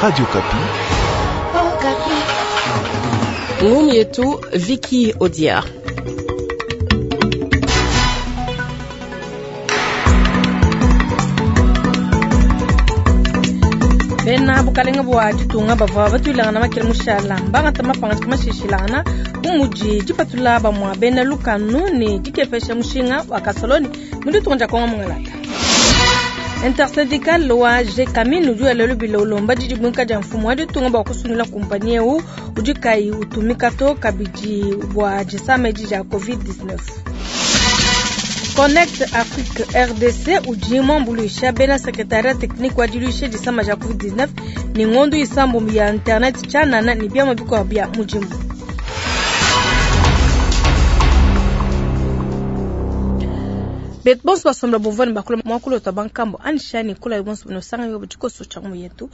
Radio Okapi. Ngumu yetu Vicky Odia. Bena bukalenga bua ditunga bavua batuilangana makele mushala mbangata mapangadika mashishilangana bu mudi dipatula bamua bena lukanu ne dikepesha mushinga wa kasoloni mu ditunga dia Kongo Mungalata. Intersyndical wa Gécamines udi wela lubila ulomba didibuinka dia mfumu wa ditunga bua kusungila kumpanyi eu udi kayi utumika to kabidi bua disama edi dia Covid-19. Connect Afrique RDC udi muambuluisha bena secretariat technique wa diluisha disama dia Covid-19 ne ngondo isambombo ya internet tshianana ne biamua bikuabu bia mudimu. Betu bonso basomba bumvua ne bakula muakulu wetu wa bankambo anisha ne kula bonso bunosanga yo tshikoso tshia ngumu yetu.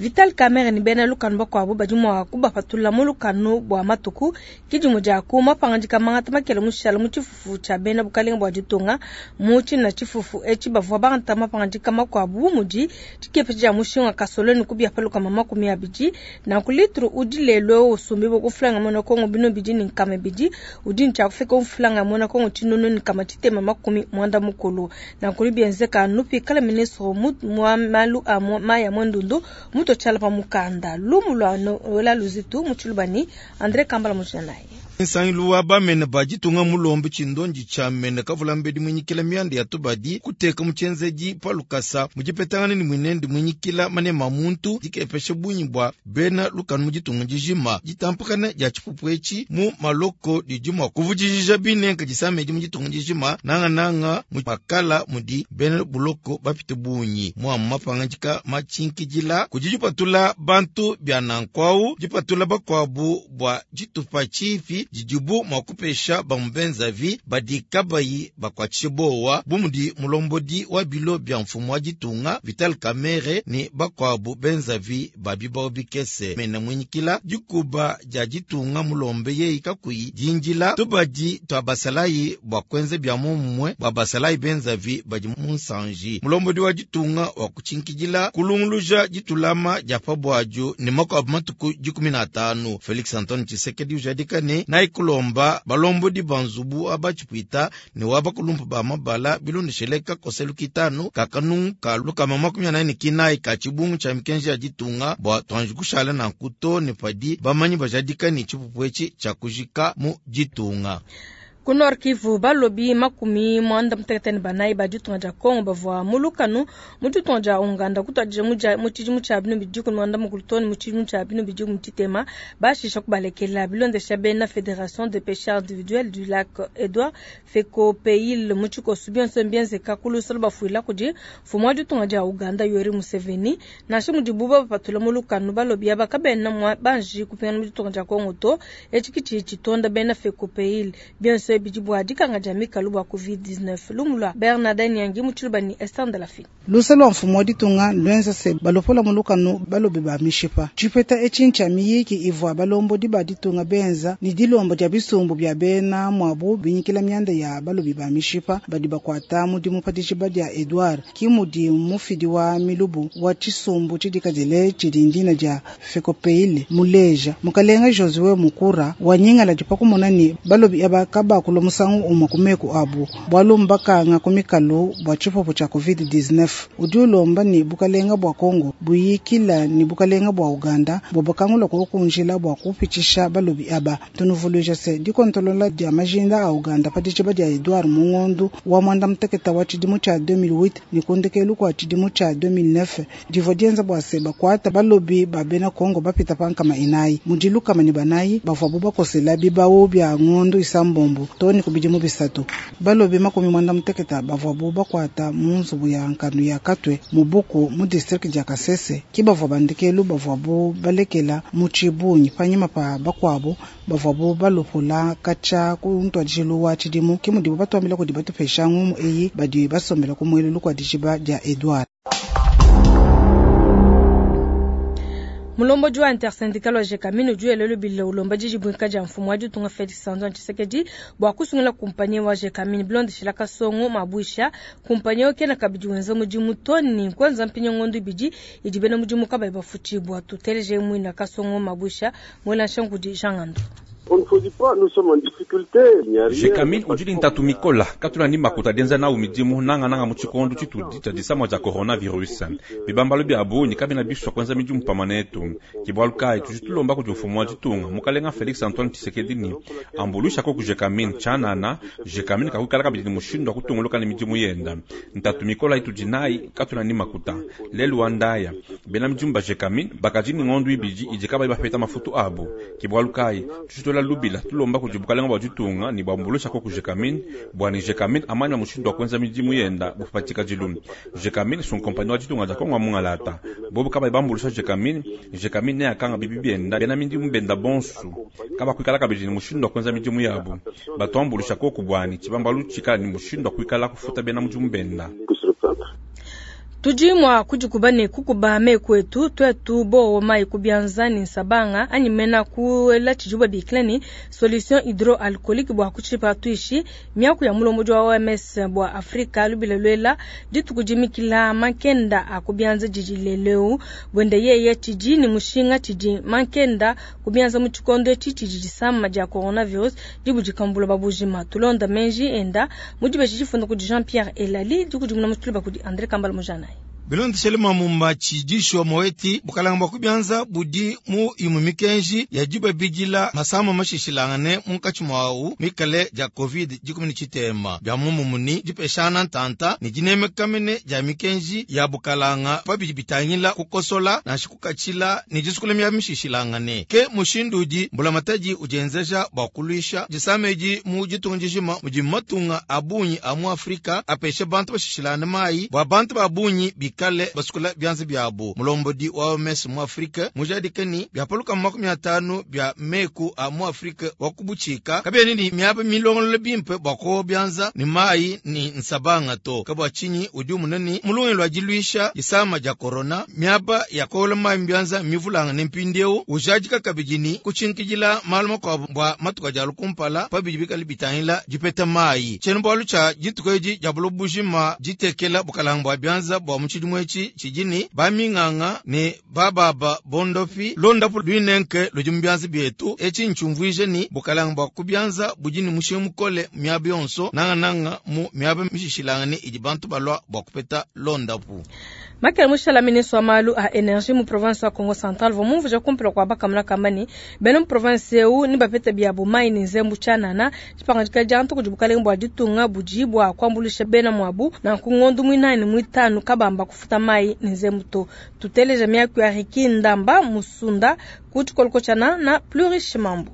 Vital Kamerhe ne bena lukanu bakuabu badi mua kubapatula mu lukanu bua matuku kidimu dia ku mapangadika mangata makele mushala mu tshifufu tshia bena bukalenga bua ditunga. Mu tshina tshifufu etshi bavua bangata mapangadika makuabu bu mudi dikepesha dia mushinga wa kasoloni ku bia pa 20. Nanku litro udi lelu eu usumbibua ku franga muena Kongo 220 udi ne tshia kufika ku franga muena Kongo 1160. Nanku bienzeka nupikala ministre wa malu a mayi a mwendundu muto tshiala pa mukanda lumu lua Noela Luzitu mu Tshilubani André Kambala mujanayi. Nsangilu wa bamene ba ditunga mulombe tshindondi tshia mene kavula mbedi mwinyikila mianda ya tubadi kuteka mu tshienzedi pa lukasa mu dipetangana ne mwinende mwinyikila manema muntu dikepesha bungi bua bena lukanu mu ditunga dijima. Ditampakana dia tshipupu etshi mu maloko didi mua kuvudijija binenka disamedi mu ditunga dijima nangananga mu makala mudi bena buloko bapite bungi. Mua mapangadika matshinkidila kudi dipatula bantu bia nankuau dipatula bakuabu bua ditupa tshipi didibu mua kupesha bamubenzavi badi kabayi bakuatshishe bowa bu mudi mulombodi wa bilo bia mfumu wa ditunga Vital Kamerhe ne bakuabu benzavi ba bibao bikese. Mena mwinyikila dikuba dia ditunga mulombe yeyi kakuyi dindila tubadi tua basalayi bua kuenza bia momumue bua basalayi benzavi badi mu nsanji. Mulombodi wa ditunga wa kutshinkidila kulunguluja ditulama dia pabuadio ne makuabu matuku 15. Felix Antoine Tshisekedi ujadika ne nayi kulomba balombodi ba nzubu abatshipuita ne wa bakulumpa ba mabala bilondeshele kakoselu kitanu kakanungu ka 149 ka tshibungu tshia mikenji ya ditunga bua tuanji kushala na nkuto ne padi bamanyi bajadika ne tshipupu etshi tshia kujika mu ditunga. Ku Nord Kivu balobi 94 ba ditunga dia Kongo bavua mu lukanu mu ditunga dia Uganda kutuadija mu tshidimu tshia 2016 too ne mu tshidimu tshia 2023 bashisha kubalekela bilondesha bena Fédération des pêcheurs individuels du lac Edouard Fecopeil mu tshikoso bionso mbienzeka ku lusolo bafuila kudi mfumu wa ditunga dia Uganda Yoweri Museveni. Nansha mudibu babapatula mu lukanu balobi aba kabena mua banji kupingana mu ditunga dia Kongo to. Etshi kitshi tshitonda bena Fecopeil bionso bidi bua dikanga dia mikalu bua Covid-19. Lumu lua Bernardin Nyangi mu Tshilubani Esther Ndalafi. Luse lua mfumu wa ditunga lwenza se balopola mu lukanu balobi ba mishipa. Tshipeta etshi ntshia miyiki ivua balombodi ba ditunga benza ne dilombo dia bisumbu bia bena muabu binyikila mianda ya balobi ba mishipa badi bakuata mudimu pa dijiba dia Edouard ki mudi mufidi wa milubu wa tshisumbu tshidikadile tshidi ndina dia Fecopeil muleja. Mukalenga Josue Mukura wa nyingala dipakumona ne balobi aba kabakulwa musangu umwe ku meku abu bwalu mbakanga ku mikalu bua tshipupu tshia Covid-19. Udi ulomba ne bukalenga bua Kongo buyikila ne bukalenga bua Uganda bua bakangula kukunjila bua kupitshisha balobi aba. Tunuvuluija se dikontolola dia majinda a Uganda pa dijiba dia Edouard Mungondu wa mwanda muteketa wa tshidimu tshia 2008 ne kundekelu kua tshidimu tshia 2009 divua dienza bua se bakuata balobi ba bena Kongo bapita pa 400 mudi 104 bavua bakosela bibau bia ngondu isambombo too ne ku bidimu bisatu. Balobi 98 bavua bakuata mu nzubu ya nkanu ya Katwe mu Buku mu district dia Kasese ki bavua bandekelu bavua balekela mu tshibungi panyima pa bakuabu bavua balopula katshia ku ntuadijilu wa tshidimu ki mudibu batuambila kudi batupesha ngumu eyi badi basombela ku muelelu kua dijiba dia Edouard. Mulombodi wa intersyndical wa Gécamines udi wela lubila ulomba didibuinka dia mfumu wa ditunga Felix Antoine Tshisekedi bua kusungula kumpanyi wa Gécamines bilondeshila Kasongo Mabuisha. Kumpanyi eu kena kabidi wenza mudimu to ni kwenza mpinya ngondo ibidi idi bena mudimu kabayi bafutshibua. Tuteleje muina Kasongo Mabuisha mwela nshankudi Jean Ngando. On ne faut pas, nous sommes en difficulté. Il n'y a rien. Gécamines udi ne ntatu mikola katuna ni makuta dienza nawu midimu nangananga mu tshikondo tshitudi tshia disama dia coronavirus. Bibambalo bia bungi kabena bisua kuenza midimu pamue netu. Ke bualu kayi tudi tulomba kudi mfumu wa ditunga mukalenga Felix Antoine Tshisekedi ni ambuluisha koku Gécamines tshianana. Gécamines kakuikala kabidi ne mushindu wa kutunguluka ne midimu yenda. Ntatu mikola itudi nayi katuna ni makuta. Lelu wa ndaya bena midimu ba Gécamines bakadi ne ngondo ibidi idi kabayi bapeta mafutu abu. Ke bualu kayi tudi tuela lubila tulomba kudi bukalenga bua ditunga ni bwambuluisha koku Gécamines bua ni Gécamines amanya mushindu wa kuenza midimu yenda bupatika dilume. Gécamines son compagnie wa ditunga dia Kongo mungalata bobu kabayi bambulusha Gécamines. Gécamines ne akanga bibi bienda bena midimu benda bonsu kabakuikala kabidi ni mushindu wa kuenza midimu yabu. Batuambulusha koku bwani tshibambalu tshikala ni mushindu wa kuikala kufuta bena mudimu benda. Tudi mwa kudikuba ne kukuba meku etu twetu bowo mayi kubianza ni nsabanga anyi mena kuela tshijuba bikila ni solution hydroalcoolique bua kutshipa tuishi miaku ya mulombodi wa OMS bua Afrika lubila lwela dituku dimikila mankenda akubianza didi leleu bwende yeye tshidi ni mushinga tshidi mankenda kubianza mu tshikondo etshi tshidi disama dia coronavirus dibudikambula babujima tulonda menji enda mudibe tshifunda kudi Jean-Pierre Elali dikudimuna mutuluba kudi André Kambala Mujana. Bilondeshele mamumba tshidisho moeti bukalanga bua kubianza budi mu imu mikenji ya dibabidila masama mashishilangane munkatshi mwawu mikale dia covid 19 bya mumumuni dipeshana ntanta ni dinemekamene dia mikenji ya bukalanga pabidi bitangila kukosola nansha kukatshila ni disukula mya mishishilangane ke mushindu udi mbulamatadi udienzeja bua kuluisha disamedi mu ditunga dijima mudi matunga a bungi a mu Afrika apesha bantu bashishilane mayi bua bantu ba bungi bikale basukula byanza byabo. Mulombodi wa OMS mu Afrika mujadika ni byapaluka 50 bya meku a mu Afrika wa kubuchika kabene ni myaba milongolo bimpe bwa ko byanza ni mayi ni nsabanga to kabwa chinyi udi munani mulungi lwa diluisha disama dia corona myaba ya kola mayi byanza mivulanga ne mpindieu ujadika kabidi ni kuchinkijila malu makuabu bwa matuka dia lukumpala pabidi bikale bitangila dipeta mayi tshiena-bualu tshia dituku edi dia buloba ditekela bukalanga bua byanza bua mu tshidimu etshi tshidi baminganga ne bababa bondopi londapu luinenke ludi mu byanza bietu etshi ntshumvuije ni bukalanga bua kubyanza budi ni mushinga mukole miaba yonso nangananga mu miaba mishishilangane idi bantu balua bua kupeta londapu. Makele mushala ministre wa malu a energie mu province wa Kongo Central vomumvuja kumpela kwa bakamuna kambani bena mu province eu ni bapeta biabo mai ni nzembu tshianana tshipangadika dia ntu kudi bukalenge bua ditunga budi bua kuambulisha bena muabu na nkungondu muinayi muitanu kabamba kufuta mai ni nzembu to. Tuteleja miaku ya Riki Ndamba Musunda ku tshikoloko tshiana na plus riche mambu.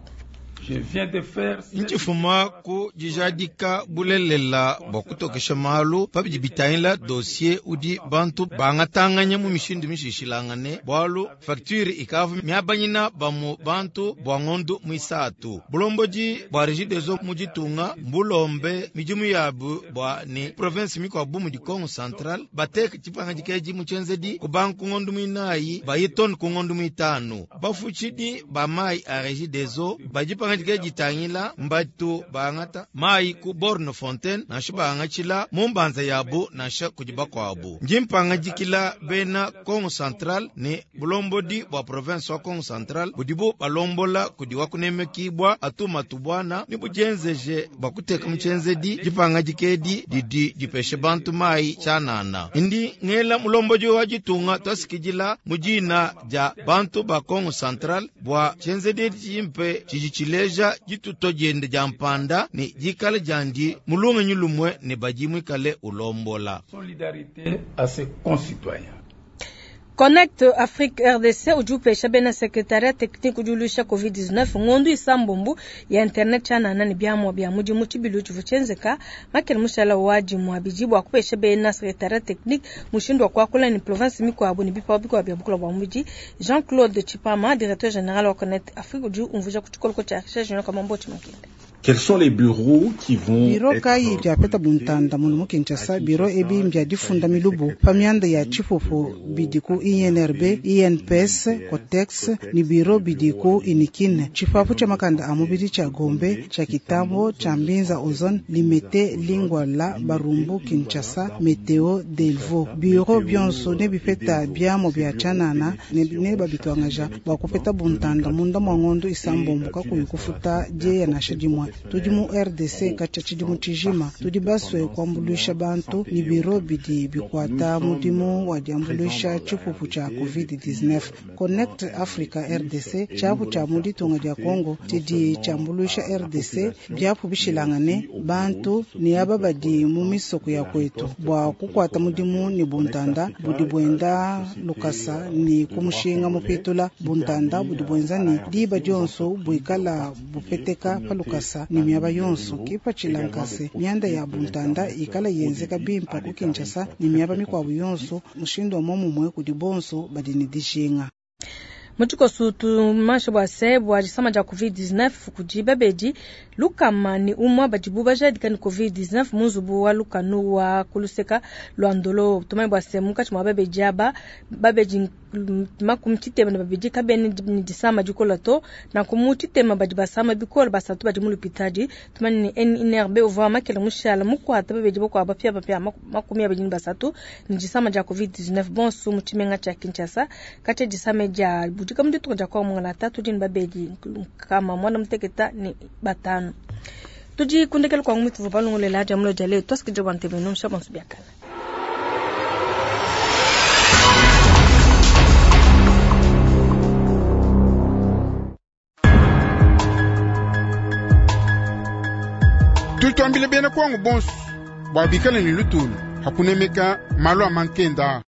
Nchifuma ku dijadika bulelela bua kutokesha malu pabidi bitangila dossier udi bantu bangatanganya mu mishindu mishishilangane bualu facture ikavu miabanyina bamu bantu bua ngondu muisatu bulombodi bua Regideso mu ditunga mbulombe midimu yabu bua ni province mikuabu mu Kongo Central bateke tshipangadika edi mu tshienzedi ku banku ngondu muinayi bayitone ku ngondu muitanu bafutshidi ba mayi a Regideso badi ditangila mbatu bangata mayi ku borne fontaine nansha bangatshila mu mbanza yabu nansha kudi bakuabu ndi mpangadikila bena Kongo Central ne bulombodi bua province wa Kongo Central budibu balombola kudi wakunemekibwa atuma tubwana ni budienzeje bua kuteka mu tshienzedi dipangadika edi didi dipeshe bantu mayi tshianana ndi ngela mulombodi wa ditunga twasikidila mu dina dia bantu ba Kongo Central bua tshienzedi edi tshimpe tshidi tshileja dituto diende dia mpanda ne dikala diandi mulungenyi lumwe ne badi mwikale ulombola. Solidarité à ses concitoyens. Connect Afrique RDC udi upesha bena secretariat technique udi uluisha COVID-19 ngondu isambombu ya internet tshianana ne biamua bia mudimu tshibilu tshivua tshienzeka makele mushala wa dimua bidi bua kupesha bena secretariat technique mushindu wa kuakula ne province mikuabu ne bipawa bikuabu bia bukula bua mubidi. Jean-Claude Tshipama, directeur général wa Connect Afrique, udi umvuija ku tshikoloko tshia recherche junior Kamambo Tshimakende. Quels sont les bureaux qui vont Biro être kayi biapeta buntanda munu mu Kinshasa biro ebi mbia difunda milubu pa mianda ya tshipupu bidi ku INRB, INPS, Cotex ni biro bidi ku Inikine. Tshipapu tshia makanda a mubidi tshia Gombe, tshia Kitambo, tshia Mbinza Ozone, Limete, Lingwala, Barumbu, Kinshasa, Meteo, Delvaux. Biro bionso ne bipeta biamo bia tshianana ne babituangaja bua kupeta buntanda munda mua ngondo isambombo kakuyi kufuta dieya nansha dimue. Tudi mu RDC katshia tshidimu tshijima tudi basue kuambuluisha bantu ni biro bidi bikuata mudimu wa diambuluisha tshipupu tshia COVID-19. Connect Africa RDC tshiapu tshia mu ditunga dia Congo tshidi tshiambuluisha RDC biapu bishilangane bantu ne aba badi mu misoko ya kwetu bua kukuata mudimu ne buntanda budi buenda lukasa ni kumushinga mupitula buntanda budi buenza ni diba dionso buikala bupeteka pa lukasa ni miaba yonso kipatshila nkase mianda ya buntanda ikala yenzeka bimpa ku Kinshasa ni miaba mikuabu yonso mushindu wa momumue kudi bonso badi ne dijinga. Mu tshikoso tumansha bua se bua disama dia COVID-19 kudi babedi lukama ne umue badibu bajadika ne COVID-19 mu nzubu wa lukanu wa kuluseka lua Ndolo. Tumanye bua se munkatshi mua babedi aba babedi makumi tshitema ne babidi kabena ne disama dikola to, nanku mu tshitema badi basama bikole basatu badi mu lupitadi. Tumanye ne INRB uvua makela mushala mukuata babedi bakuabu bapiabapia makumi abidi ne basatu ne disama dia COVID-19 bonso mu tshimenga tshia Kinshasa. Katshia disama dia budika mu ditunga dia Kongo mongala tudi ne babedi kama mwana muteketa ne batanu. Tudi kundekela kwa ngumi tuvu balongolela dia mulo dia leo twasikidja bua ntebe no msha bonso biakana. Tutwambile bena kwangu bonso bua bikale ne lutulu hakunemeka malu a mankenda.